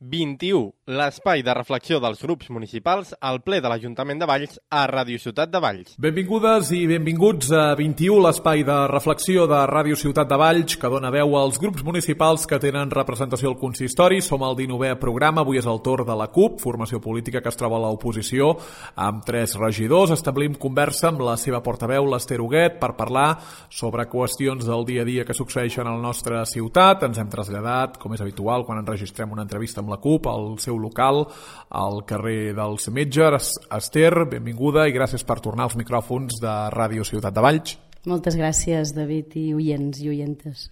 21, l'espai de reflexió dels grups municipals al ple de l'Ajuntament de Valls a Ràdio Ciutat de Valls. Benvingudes i benvinguts a 21, l'espai de reflexió de Ràdio Ciutat de Valls, que dona veu als grups municipals que tenen representació al consistori. Som al 19è programa, avui és el torn de la CUP, formació política que es troba a l'oposició, amb 3 regidors. Establim conversa amb la seva portaveu, l'Ester Huguet, per parlar sobre qüestions del dia a dia que succeeixen a la nostra ciutat. Ens hem traslladat, com és habitual, quan enregistrem una entrevista amb la CUP, al seu local, al carrer dels Metges. Ester, benvinguda i gràcies per tornar als micròfons de Ràdio Ciutat de Valls. Moltes gràcies, David, i oients i oientes.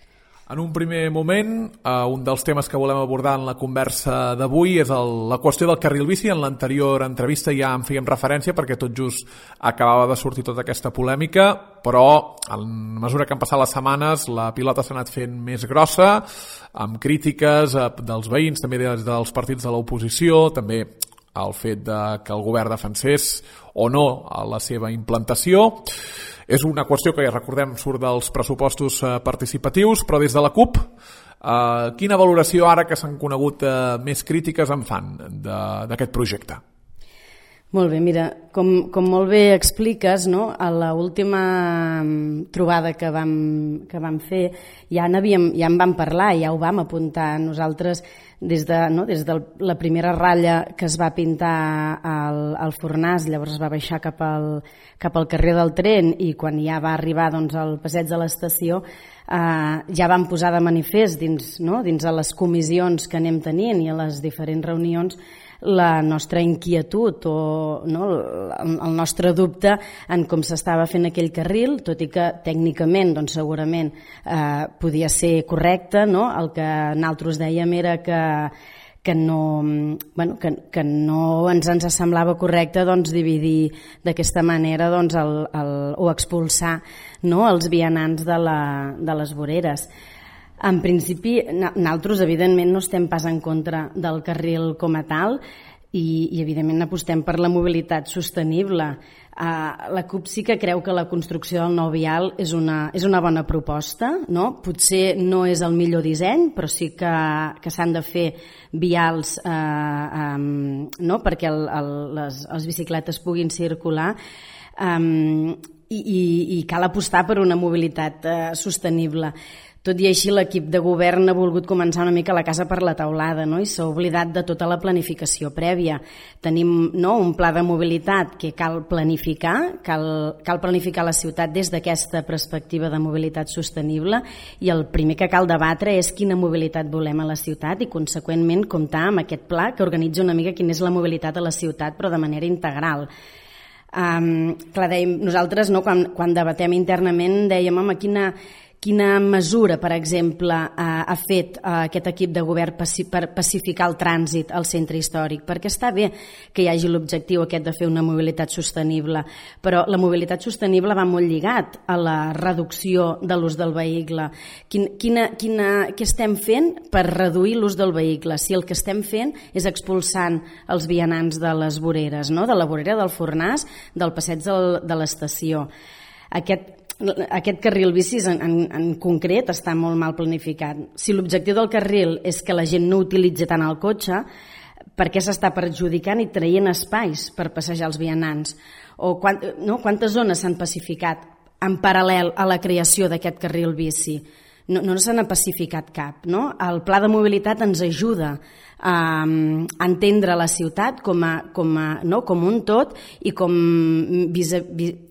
En un primer moment, un dels temes que volem abordar en la conversa d'avui és la qüestió del carril bici. En l'anterior entrevista ja en fèiem referència perquè tot just acabava de sortir tota aquesta polèmica, però a mesura que han passat les setmanes la pilota s'ha anat fent més grossa, amb crítiques dels veïns, també dels partits de l'oposició, també el fet que el govern defensés o no la seva implantació. És una qüestió que, ja recordem, surt dels pressupostos participatius, però des de la CUP, quina valoració, ara que s'han conegut més crítiques, en fan d'aquest projecte? Molt bé, mira, com molt bé expliques, no? A l'última trobada que vam fer ja en vam parlar, ja ho vam apuntar nosaltres des de la primera ratlla que es va pintar al Fornàs, llavors es va baixar cap al carrer del Tren, i quan ja va arribar al passeig de l'estació ja vam posar de manifest dins de les comissions que anem tenint i a les diferents reunions la nostra inquietud o el nostre dubte en com s'estava fent aquell carril, tot i que tècnicament segurament podia ser correcte. El que nosaltres dèiem era que no ens semblava correcte dividir d'aquesta manera o expulsar els vianants de les voreres. En principi, nosaltres evidentment no estem pas en contra del carril com a tal i evidentment apostem per la mobilitat sostenible. La CUP sí que creu que la construcció del nou vial és una bona proposta, no? Potser no és el millor disseny, però sí que s'han de fer vials perquè les bicicletes puguin circular, i cal apostar per una mobilitat sostenible. Tot i així, l'equip de govern ha volgut començar una mica la casa per la teulada, i s'ha oblidat de tota la planificació prèvia. Tenim un pla de mobilitat que cal planificar, cal planificar la ciutat des d'aquesta perspectiva de mobilitat sostenible, i el primer que cal debatre és quina mobilitat volem a la ciutat i, conseqüentment, comptar amb aquest pla que organitza una mica quina és la mobilitat a la ciutat, però de manera integral. Nosaltres, quan debatem internament, dèiem quina mesura, per exemple, ha fet aquest equip de govern per pacificar el trànsit al centre històric, perquè està bé que hi hagi l'objectiu aquest de fer una mobilitat sostenible, però la mobilitat sostenible va molt lligat a la reducció de l'ús del vehicle. Què estem fent per reduir l'ús del vehicle? Si el que estem fent és expulsant els vianants de les voreres, de la vorera del Fornàs, del passeig de l'estació. Aquest carril bici en concret està molt mal planificat. Si l'objectiu del carril és que la gent no utilitzi tant el cotxe, per què s'està perjudicant i traient espais per passejar els vianants? O quantes zones s'han pacificat en paral·lel a la creació d'aquest carril bici? No se n'ha pacificat cap. El pla de mobilitat ens ajuda a entendre la ciutat com un tot i com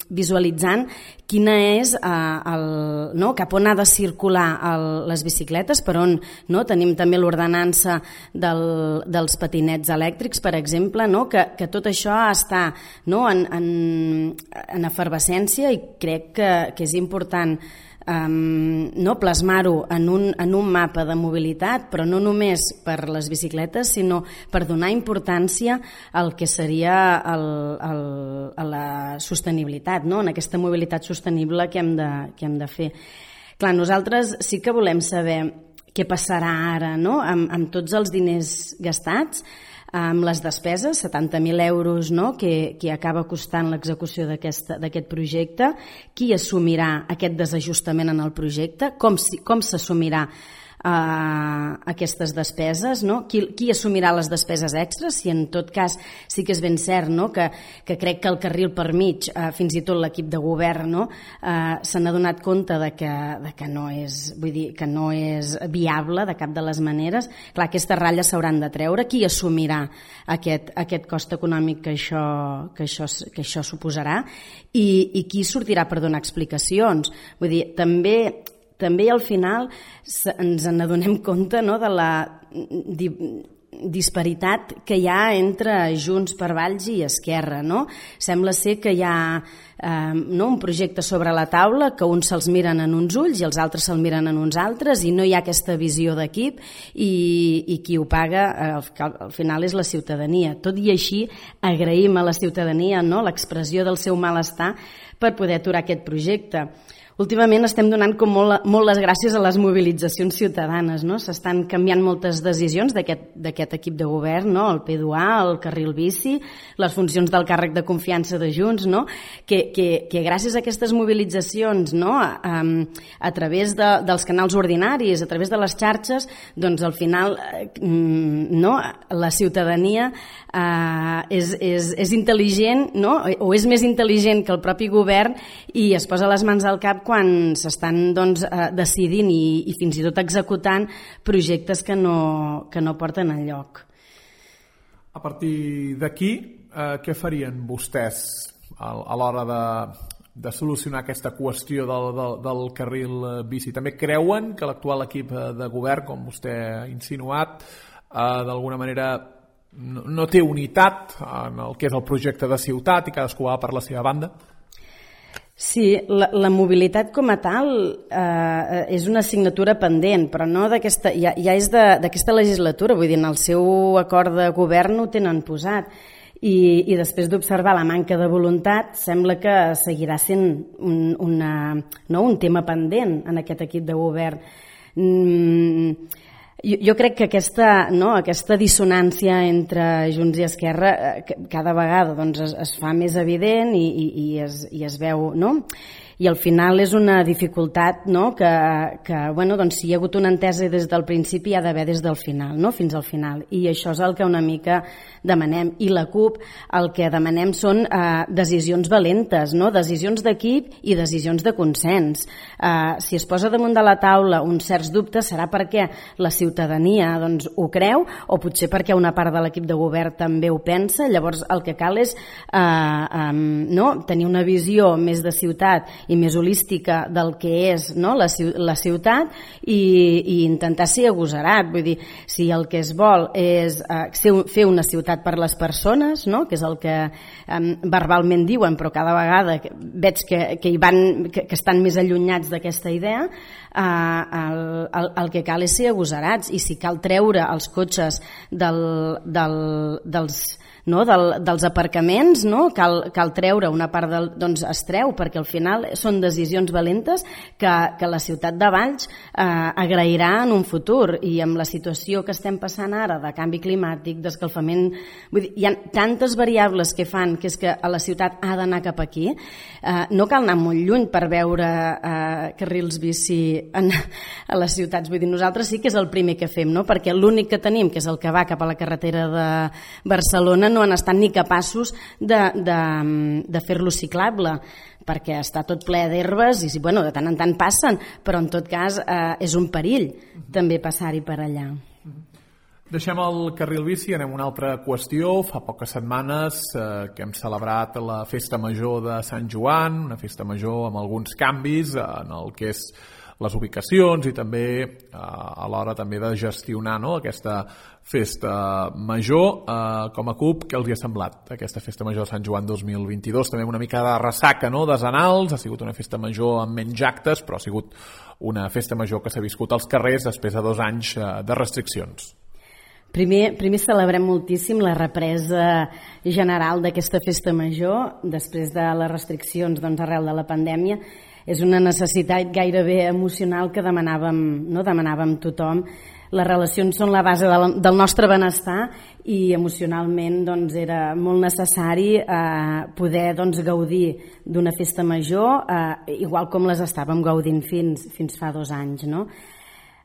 visualitzant quina és cap on ha de circular les bicicletes, per on tenim també l'ordenança dels patinets elèctrics, per exemple, que tot això està en efervescència, i crec que és important plasmar-ho en un mapa de mobilitat, però no només per les bicicletes, sinó per donar importància al que seria a la sostenibilitat, en aquesta mobilitat sostenible que hem de fer. Clar, nosaltres sí que volem saber què passarà ara amb tots els diners gastats, amb les despeses, 70.000 euros que acaba costant l'execució d'aquest projecte. Qui assumirà aquest desajustament en el projecte? Com s'assumirà aquestes despeses, no? Qui assumirà les despeses extres? Si en tot cas sí que és ben cert, no? que crec que el carril per mig, fins i tot l'equip de govern, no? Se n'ha donat compte de que no és, vull dir, que no és viable de cap de les maneres. Clar, aquestes ratlles s'hauran de treure. Qui assumirà aquest cost econòmic que això suposarà i qui sortirà per donar explicacions? Vull dir, també al final ens n'adonem compte, no?, de la disparitat que hi ha entre Junts per Valls i Esquerra, no? Sembla ser que hi ha un projecte sobre la taula que uns se'ls miren en uns ulls i els altres se'l miren en uns altres i no hi ha aquesta visió d'equip i qui ho paga al final és la ciutadania. Tot i així agraïm a la ciutadania, no?, l'expressió del seu malestar per poder aturar aquest projecte. Últimament estem donant com molt les gràcies a les mobilitzacions ciutadanes, no? S'estan canviant moltes decisions d'aquest equip de govern, no? El P2A, el carril bici, les funcions del càrrec de confiança de Junts, no? Que gràcies a aquestes mobilitzacions, no?, a través dels canals ordinaris, a través de les xarxes, doncs al final no? La ciutadania és intel·ligent, no?, o és més intel·ligent que el propi govern i es posa les mans al cap quan s'estan decidint i fins i tot executant projectes que no porten enlloc. A partir d'aquí, què farien vostès a l'hora de solucionar aquesta qüestió del carril bici? També creuen que l'actual equip de govern, com vostè ha insinuat, d'alguna manera no té unitat en el que és el projecte de ciutat i cadascú va per la seva banda? Sí, la mobilitat com a tal és una assignatura pendent, però no d'aquesta, ja és d'aquesta legislatura, vull dir, en el seu acord de govern ho tenen posat i després d'observar la manca de voluntat sembla que seguirà sent un tema pendent en aquest equip de govern. Jo crec que aquesta dissonància entre Junts i Esquerra cada vegada es fa més evident i es veu, no? I al final és una dificultat, no?, que si hi ha hagut una entesa des del principi hi ha d'haver des del final, no?, fins al final. I això és el que una mica demanem. I la CUP el que demanem són decisions valentes, no?, decisions d'equip i decisions de consens. Si es posa damunt de la taula uns certs dubtes serà perquè la ciutadania ho creu o potser perquè una part de l'equip de govern també ho pensa. Llavors el que cal és tenir una visió més de ciutat i més holística del que és, no?, la ciutat i intentar ser agosarat. Vull dir, si el que es vol és fer una ciutat per les persones, no?, que és el que verbalment diuen, però cada vegada veig que estan més allunyats d'aquesta idea, el que cal és ser agosarats i si cal treure els cotxes dels aparcaments, no? Cal treure una part es treu, perquè al final són decisions valentes que la ciutat de Valls agrairà en un futur, i amb la situació que estem passant ara de canvi climàtic, d'escalfament, vull dir, hi ha tantes variables que fan que és que a la ciutat ha d'anar cap aquí, no cal anar molt lluny per veure carrils bici a les ciutats. Vull dir, nosaltres sí que és el primer que fem, no? Perquè l'únic que tenim, que és el que va cap a la carretera de Barcelona, no han estat ni capaços de fer-lo ciclable, perquè està tot ple d'herbes i de tant en tant passen, però en tot cas és un perill també passar-hi per allà. Deixem el carril bici, anem a una altra qüestió. Fa poques setmanes que hem celebrat la Festa Major de Sant Joan, una festa major amb alguns canvis en el que és les ubicacions i també a l'hora també de gestionar, no?, aquesta festa major. Com a CUP, què els hi ha semblat aquesta festa major de Sant Joan 2022? També una mica de ressaca, no?, desenals. Ha sigut una festa major amb menys actes, però ha sigut una festa major que s'ha viscut als carrers després de 2 anys de restriccions. Primer celebrem moltíssim la represa general d'aquesta festa major després de les restriccions arrel de la pandèmia. És una necessitat gairebé emocional que demanàvem tothom. Les relacions són la base del nostre benestar i emocionalment era molt necessari poder gaudir d'una festa major igual com les estàvem gaudint fins fa 2 anys, no?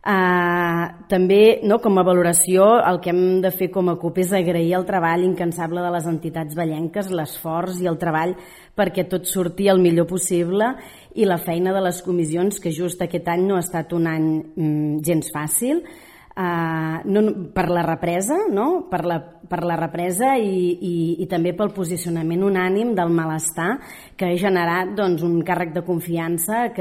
També, com a valoració, el que hem de fer com a CUP és agrair el treball incansable de les entitats vallenques, l'esforç i el treball perquè tot surti el millor possible, i la feina de les comissions, que just aquest any no ha estat un any gens fàcil, per la represa, per la represa i també pel posicionament unànim del malestar que ha generat un càrrec de confiança,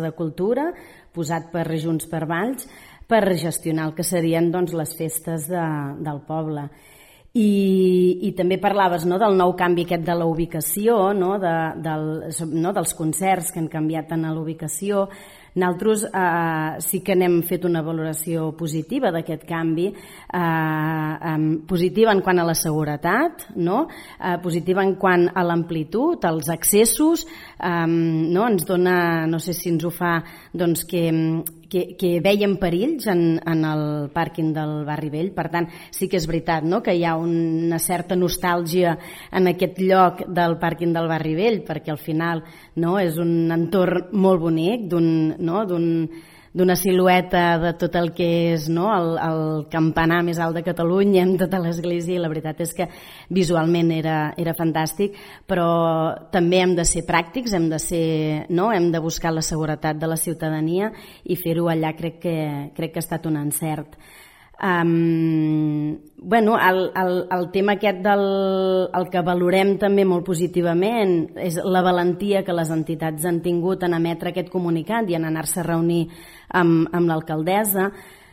de cultura, posat per Junts per Valls, per gestionar el que serien les festes del poble. I també parlaves del nou canvi aquest de la ubicació, dels concerts que han canviat en l'ubicació. Nosaltres sí que n'hem fet una valoració positiva d'aquest canvi, positiva en quant a la seguretat, positiva en quant a l'amplitud, als accessos, ens dona, no sé si ens ho fa, que veiem perills en el pàrquing del Barri Vell. Per tant, sí que és veritat que hi ha una certa nostàlgia en aquest lloc del pàrquing del Barri Vell, perquè al final és un entorn molt bonic, d'una silueta de tot el que és el campanar més alt de Catalunya amb tota l'església, i la veritat és que visualment era fantàstic, però també hem de ser pràctics, hem de buscar la seguretat de la ciutadania, i fer-ho allà crec que ha estat un encert. El tema aquest el que valorem també molt positivament és la valentia que les entitats han tingut en emetre aquest comunicat i en anar-se a reunir amb l'alcaldessa,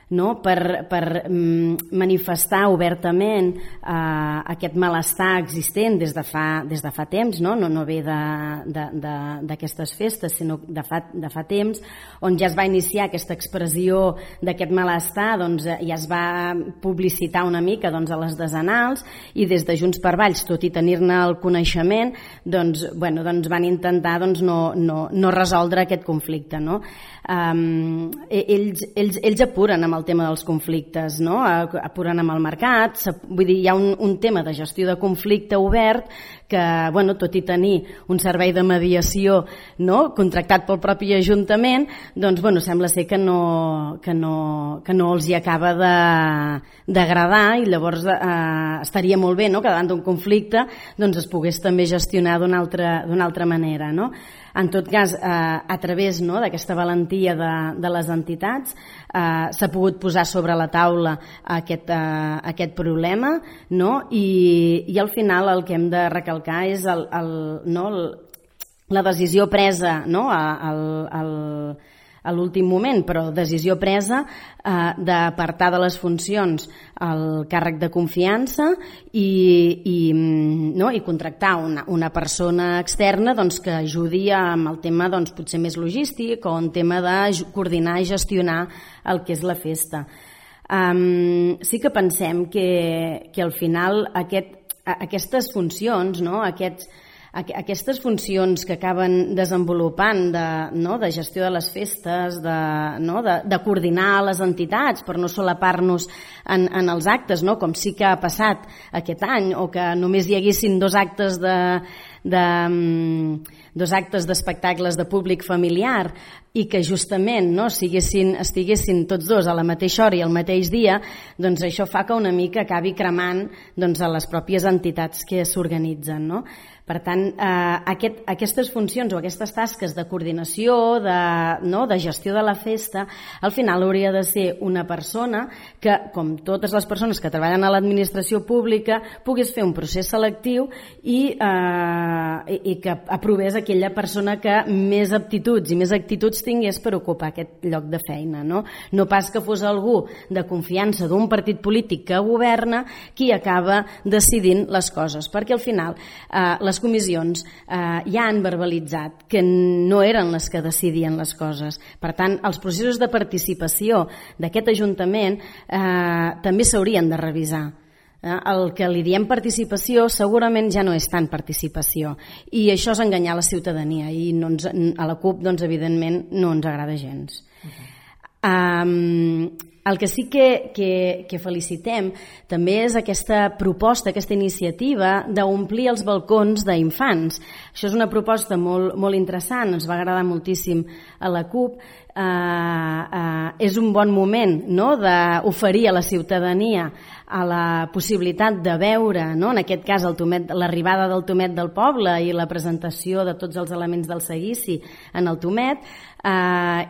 per manifestar obertament aquest malestar existent des de fa temps, no ve d'aquestes festes, sinó de fa temps, on ja es va iniciar aquesta expressió d'aquest malestar, ja es va publicitar una mica a les decenals, i des de Junts per Valls, tot i tenir-ne el coneixement, van intentar no resoldre aquest conflicte. Ells apuren amb el tema dels conflictes, apuren amb el mercat, vull dir, hi ha un tema de gestió de conflicte obert que, tot i tenir un servei de mediació contractat pel propi Ajuntament, sembla ser que no els hi acaba d'agradar, i llavors estaria molt bé que davant d'un conflicte es pogués també gestionar d'una altra manera. En tot cas, a través d'aquesta valentia de les entitats s'ha pogut posar sobre la taula aquest problema, i al final el que hem de recalcar és la decisió presa a l'últim moment, però decisió presa d'apartar de les funcions el càrrec de confiança i contractar una persona externa que ajudi amb el tema potser més logístic o en tema de coordinar i gestionar el que és la festa. Sí que pensem que al final aquestes funcions, aquestes funcions que acaben desenvolupant de gestió de les festes, de coordinar les entitats per no solapar-nos en els actes, com sí que ha passat aquest any, o que només hi haguessin dos actes d'espectacles de públic familiar, i que justament estiguessin tots dos a la mateixa hora i al mateix dia, això fa que una mica acabi cremant a les pròpies entitats que s'organitzen. Per tant, aquestes funcions o aquestes tasques de coordinació, de gestió de la festa, al final hauria de ser una persona que, com totes les persones que treballen a l'administració pública, pogués fer un procés selectiu i que aprovés aquella persona que més aptituds i més actituds tingués per ocupar aquest lloc de feina. No pas que fos algú de confiança d'un partit polític que governa qui acaba decidint les coses, perquè al final les comissions ja han verbalitzat que no eren les que decidien les coses. Per tant, els processos de participació d'aquest Ajuntament també s'haurien de revisar. El que li diem participació segurament ja no és tant participació, i això és enganyar la ciutadania, i a la CUP evidentment no ens agrada gens. El que sí que felicitem també és aquesta proposta, aquesta iniciativa d'omplir els balcons d'infants. Això és una proposta molt interessant, ens va agradar moltíssim a la CUP. És un bon moment, no?, d'oferir a la ciutadania a la possibilitat de veure, no?, en aquest cas l'arribada del Tomet del poble i la presentació de tots els elements del seguici en el Tomet,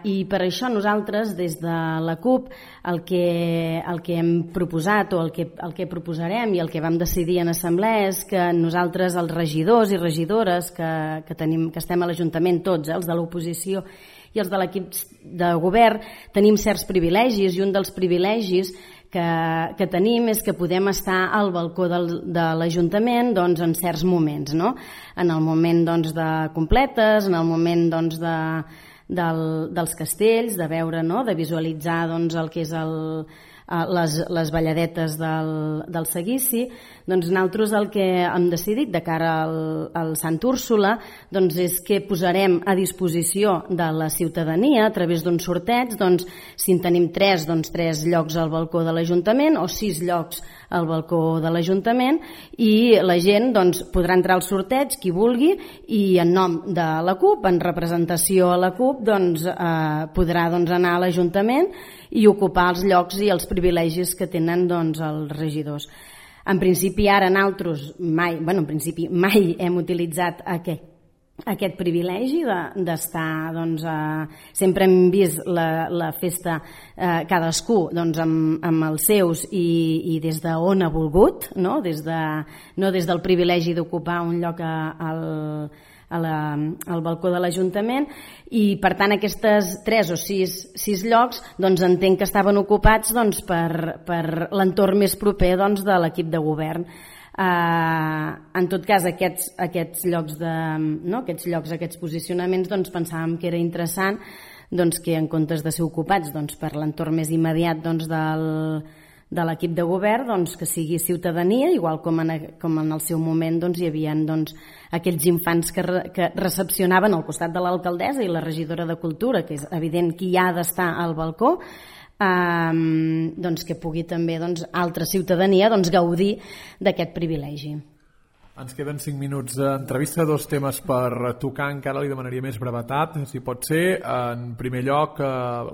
i per això nosaltres des de la CUP el que hem proposat o el que proposarem i el que vam decidir en assemblea és que nosaltres, els regidors i regidores que estem a l'Ajuntament, tots, els de l'oposició i els de l'equip de govern, tenim certs privilegis, i un dels privilegis que tenim és que podem estar al balcó de l'Ajuntament en certs moments, no? En el moment de completes, en el moment dels castells, de veure, no?, de visualitzar el que és les balladetes del seguici. Nosaltres el que hem decidit de cara al Sant Úrsula és que posarem a disposició de la ciutadania a través d'un sorteig, si en tenim 3 llocs al balcó de l'Ajuntament o 6 llocs al balcó de l'Ajuntament, i la gent podrà entrar al sorteig, qui vulgui, i en nom de la CUP, en representació a la CUP, podrà anar a l'Ajuntament i ocupar els llocs i els privilegis que tenen els regidors. En principi ara nosaltres mai hem utilitzat aquest privilegi d'estar, sempre hem vist la festa cadascú amb els seus i des d'on ha volgut, no des del privilegi d'ocupar un lloc al balcó de l'Ajuntament, i per tant aquestes 3 o 6 llocs entenc que estaven ocupats per l'entorn més proper de l'equip de govern. En tot cas, aquests llocs, aquests posicionaments, pensàvem que era interessant que en comptes de ser ocupats per l'entorn més immediat de l'equip de govern, que sigui ciutadania, igual com en el seu moment hi havia aquells infants que recepcionaven al costat de l'alcaldessa i la regidora de Cultura, que és evident qui ha d'estar al balcó, que pugui també altra ciutadania gaudir d'aquest privilegi. Ens queden 5 minuts d'entrevista, 2 temes per tocar, encara li demanaria més brevetat, si pot ser. En primer lloc,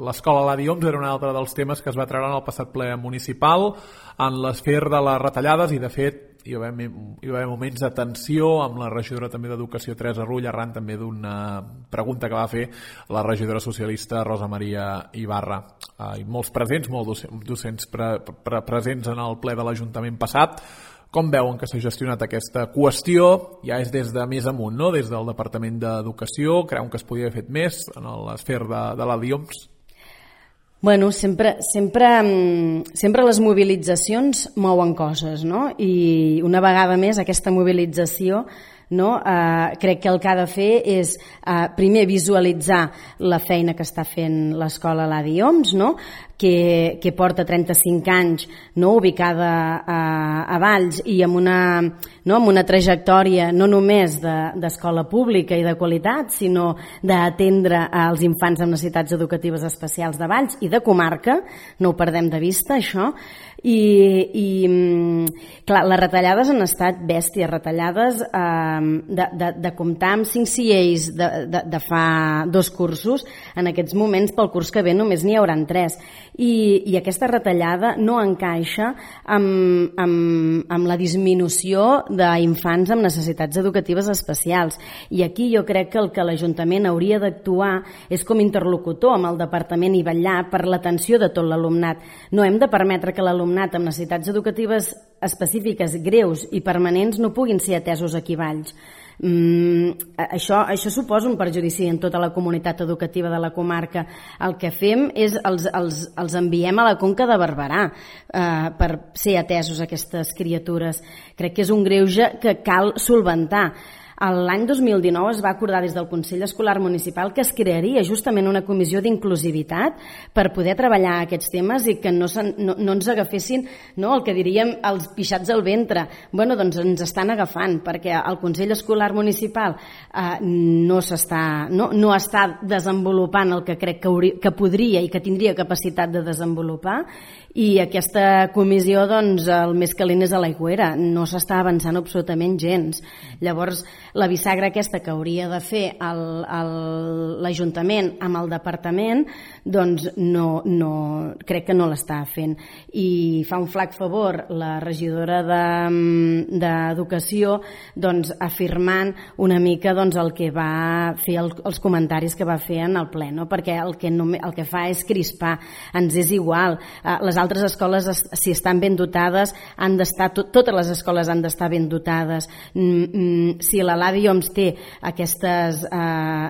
l'escola Ladi Homs era un altre dels temes que es va treure en el passat ple municipal, en l'esfer de les retallades, i de fet hi va haver moments de tensió amb la regidora també d'Educació, Teresa Rull, arran també d'una pregunta que va fer la regidora socialista Rosa Maria Ibarra. I molts presents, molts docents presents en el ple de l'Ajuntament passat. Com veuen que s'ha gestionat aquesta qüestió? Ja és des de més amunt, no?, des del Departament d'Educació. Creuen que es podia haver fet més en l'esfer de Ladi Homs? Bueno, sempre les mobilitzacions mouen coses, no? I una vegada més aquesta mobilització, no? Crec que el que ha de fer és primer visualitzar la feina que està fent l'escola Ladi Homs, no? Que porta 35 anys, no? Ubicada a Valls i amb una trajectòria no només d'escola pública i de qualitat, sinó d'atendre als infants amb necessitats educatives especials de Valls i de comarca, no ho perdem de vista això. I clar, les retallades han estat bèsties, retallades de comptar amb 5 CIEs de fa 2 cursos, en aquests moments pel curs que ve només n'hi hauran 3, i aquesta retallada no encaixa amb la disminució d'infants amb necessitats educatives especials, i aquí jo crec que el que l'Ajuntament hauria d'actuar és com interlocutor amb el departament i vetllar per l'atenció de tot l'alumnat. No hem de permetre que l'alumnat amb necessitats educatives específiques greus i permanents no puguin ser atesos aquí a Valls. Això suposa un perjudici en tota la comunitat educativa de la comarca. El que fem és els enviem a la Conca de Barberà per ser atesos aquestes criatures. Crec que és un greuge que cal solventar. L'any 2019 es va acordar des del Consell Escolar Municipal que es crearia justament una comissió d'inclusivitat per poder treballar aquests temes i que no ens agafessin el que diríem els pixats al ventre. Bueno, doncs ens estan agafant perquè el Consell Escolar Municipal no està desenvolupant el que crec que podria i que tindria capacitat de desenvolupar, i aquesta comissió, doncs, el més calent és a l'aigüera, no s'està avançant absolutament gens. Llavors, la bisagra aquesta que hauria de fer l'Ajuntament amb el Departament, doncs crec que no l'està fent. I fa un flac favor la regidora d'Educació afirmant una mica el que va fer, els comentaris que va fer en el ple, perquè el que fa és crispar, ens és igual. Les altres escoles, si estan ben dotades, han d'estar, totes les escoles han d'estar ben dotades. Si l'Adi Oms té aquestes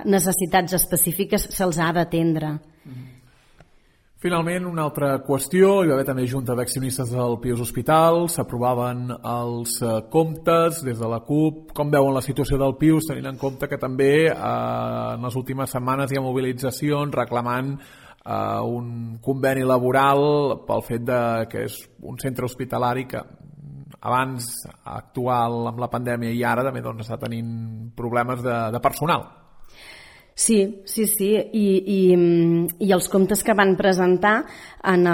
necessitats específiques, se'ls ha d'atendre. Finalment, una altra qüestió, hi va haver també junta d'accionistes del Pius Hospital, s'aprovaven els comptes des de la CUP. Com veuen la situació del Pius, tenint en compte que també en les últimes setmanes hi ha mobilitzacions reclamant un conveni laboral pel fet que és un centre hospitalari que abans, actual amb la pandèmia i ara també està tenint problemes de personal. Sí, i els comptes que van presentar en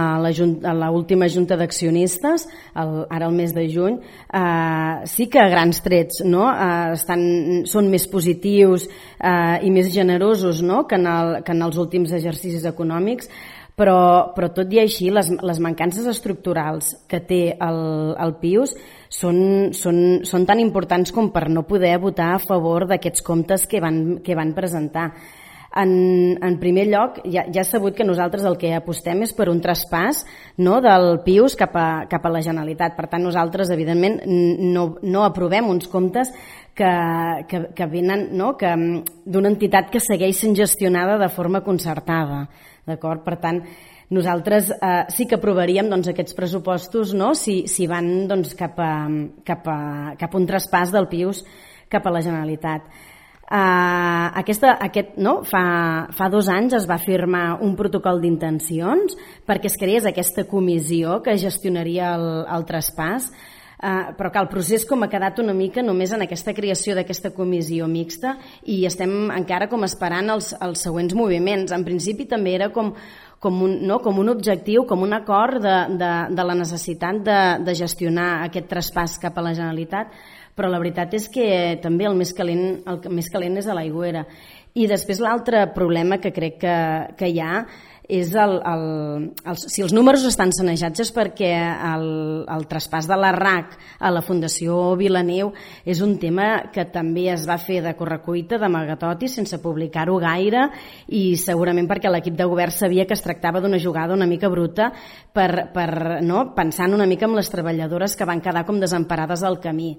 l'última junta d'accionistes, ara el mes de juny, sí que a grans trets són més positius i més generosos que en els últims exercicis econòmics, però tot i així les mancances estructurals que té el Pius són tan importants com per no poder votar a favor d'aquests comptes que van presentar. En primer lloc, ja és sabut que nosaltres el que apostem és per un traspàs del Pius cap a la Generalitat. Per tant, nosaltres, evidentment, no aprovem uns comptes que venen d'una entitat que segueix sent gestionada de forma concertada. D'acord? Per tant, nosaltres sí que aprovaríem aquests pressupostos si van cap a un traspàs del Pius cap a la Generalitat. Fa 2 anys es va firmar un protocol d'intencions perquè es creés aquesta comissió que gestionaria el traspàs, però que el procés ha quedat una mica només en aquesta creació d'aquesta comissió mixta i estem encara esperant els següents moviments. En principi també era com un objectiu, com un acord de la necessitat de gestionar aquest traspàs cap a la Generalitat, però la veritat és que també el més calent és a l'aigüera. I després l'altre problema que crec que hi ha és si els números estan sanejats és perquè el traspàs de la RAC a la Fundació Vilaneu és un tema que també es va fer de correcuita, d'amagatoti, sense publicar-ho gaire, i segurament perquè l'equip de govern sabia que es tractava d'una jugada una mica bruta pensant una mica en les treballadores que van quedar com desemparades al camí.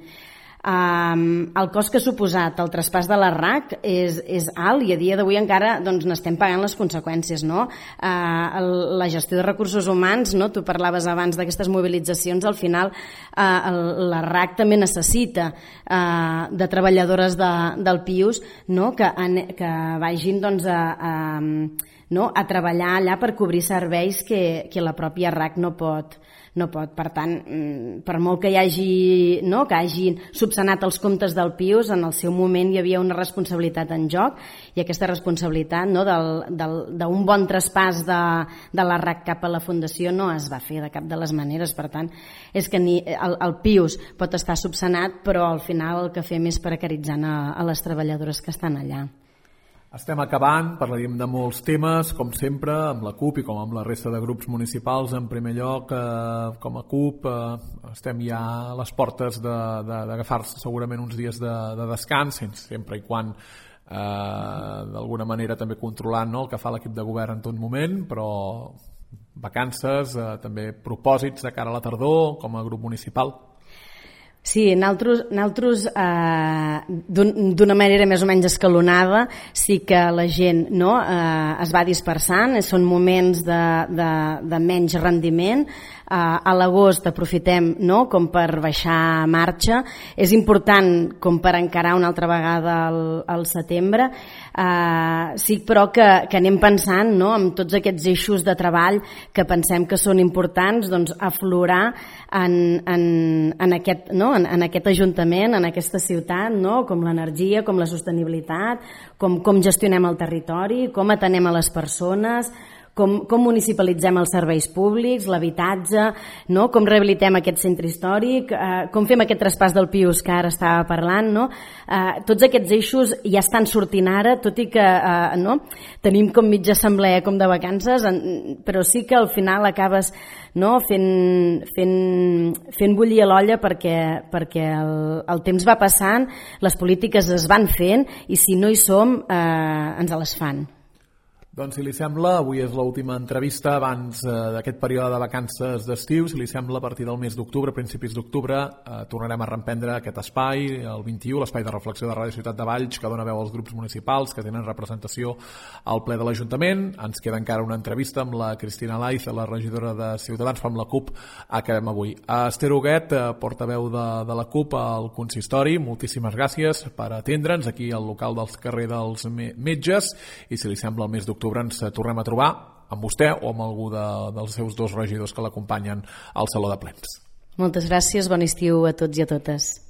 El cost que ha suposat el traspàs de la RAC és alt i a dia d'avui encara n'estem pagant les conseqüències. La gestió de recursos humans, tu parlaves abans d'aquestes mobilitzacions, al final la RAC també necessita de treballadores del Pius que vagin a treballar allà per cobrir serveis que la pròpia RAC no pot. Per tant, per molt que hagin subsanat els comptes del Pius, en el seu moment hi havia una responsabilitat en joc, i aquesta responsabilitat d'un bon traspàs de la RAC cap a la Fundació no es va fer de cap de les maneres. Per tant, és que el Pius pot estar subsanat, però al final el que fem és precaritzant a les treballadores que estan allà. Estem acabant, parlaríem de molts temes, com sempre, amb la CUP i com amb la resta de grups municipals. En primer lloc, com a CUP, estem ja a les portes d'agafar-se segurament uns dies de descans, sempre i quan d'alguna manera també controlant el que fa l'equip de govern en tot moment, però vacances, també propòsits de cara a la tardor com a grup municipal. Sí, nosaltres d'una manera més o menys escalonada sí que la gent es va dispersant, són moments de menys rendiment, a l'agost aprofitem, no?, com per baixar marxa. És important com per encarar una altra vegada al setembre. Sí, però que anem pensant, no?, en tots aquests eixos de treball que pensem que són importants, doncs, aflorar en aquest ajuntament, en aquesta ciutat, no?, com l'energia, com la sostenibilitat, com gestionem el territori, com atenem a les persones, com municipalitzem els serveis públics, l'habitatge, no?, com rehabilitem aquest centre històric, com fem aquest traspàs del Pius que ara estava parlant, no? Tots aquests eixos ja estan sortint ara, tot i que no, tenim com mitja assemblea com de vacances, però sí que al final acabes, no, fent bullir l'olla perquè el temps va passant, les polítiques es van fent i si no hi som ens les fan. Doncs, si li sembla, avui és l'última entrevista abans d'aquest període de vacances d'estiu. Si li sembla, a partir del mes d'octubre, principis d'octubre, tornarem a reemprendre aquest espai, el 21, l'espai de reflexió de Ràdio Ciutat de Valls, que dona veu als grups municipals que tenen representació al ple de l'Ajuntament. Ens queda encara una entrevista amb la Cristina Laiz, la regidora de Ciutadans, amb la CUP, acabem avui. Esther Huguet, portaveu de la CUP al consistori, moltíssimes gràcies per atendre'ns aquí al local del carrer dels Metges, i si li sembla, el mes d'octubre ens tornem a trobar amb vostè o amb algú dels seus dos regidors que l'acompanyen al Saló de Plens. Moltes gràcies, bon estiu a tots i a totes.